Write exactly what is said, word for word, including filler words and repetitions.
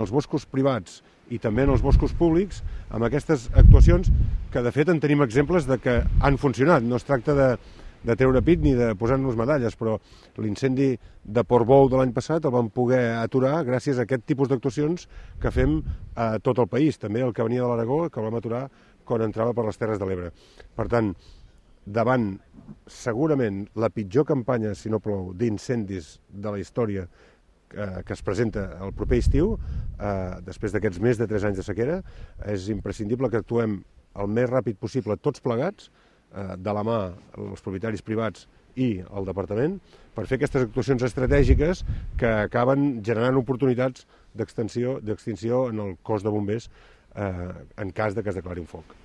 els boscos privats i també en els boscos públics, amb aquestes actuacions que de fet en tenim exemples de que han funcionat. No es tracta de, de treure pit ni de posar-nos medalles, però l'incendi de Portbou de l'any passat el vam poder aturar gràcies a aquest tipus d'actuacions que fem a tot el país, també el que venia de l'Aragó, que el vam aturar quan entrava per les Terres de l'Ebre. Per tant, davant segurament la pitjor campanya, si no plou, d'incendis de la història que es presenta el proper estiu, eh, després d'aquests més de tres anys de sequera, és imprescindible que actuem el més ràpid possible tots plegats, eh, de la mà els propietaris privats i el departament, per fer aquestes actuacions estratègiques que acaben generant oportunitats d'extinció d'extinció en el cos de bombers eh, en cas de que es declari un foc.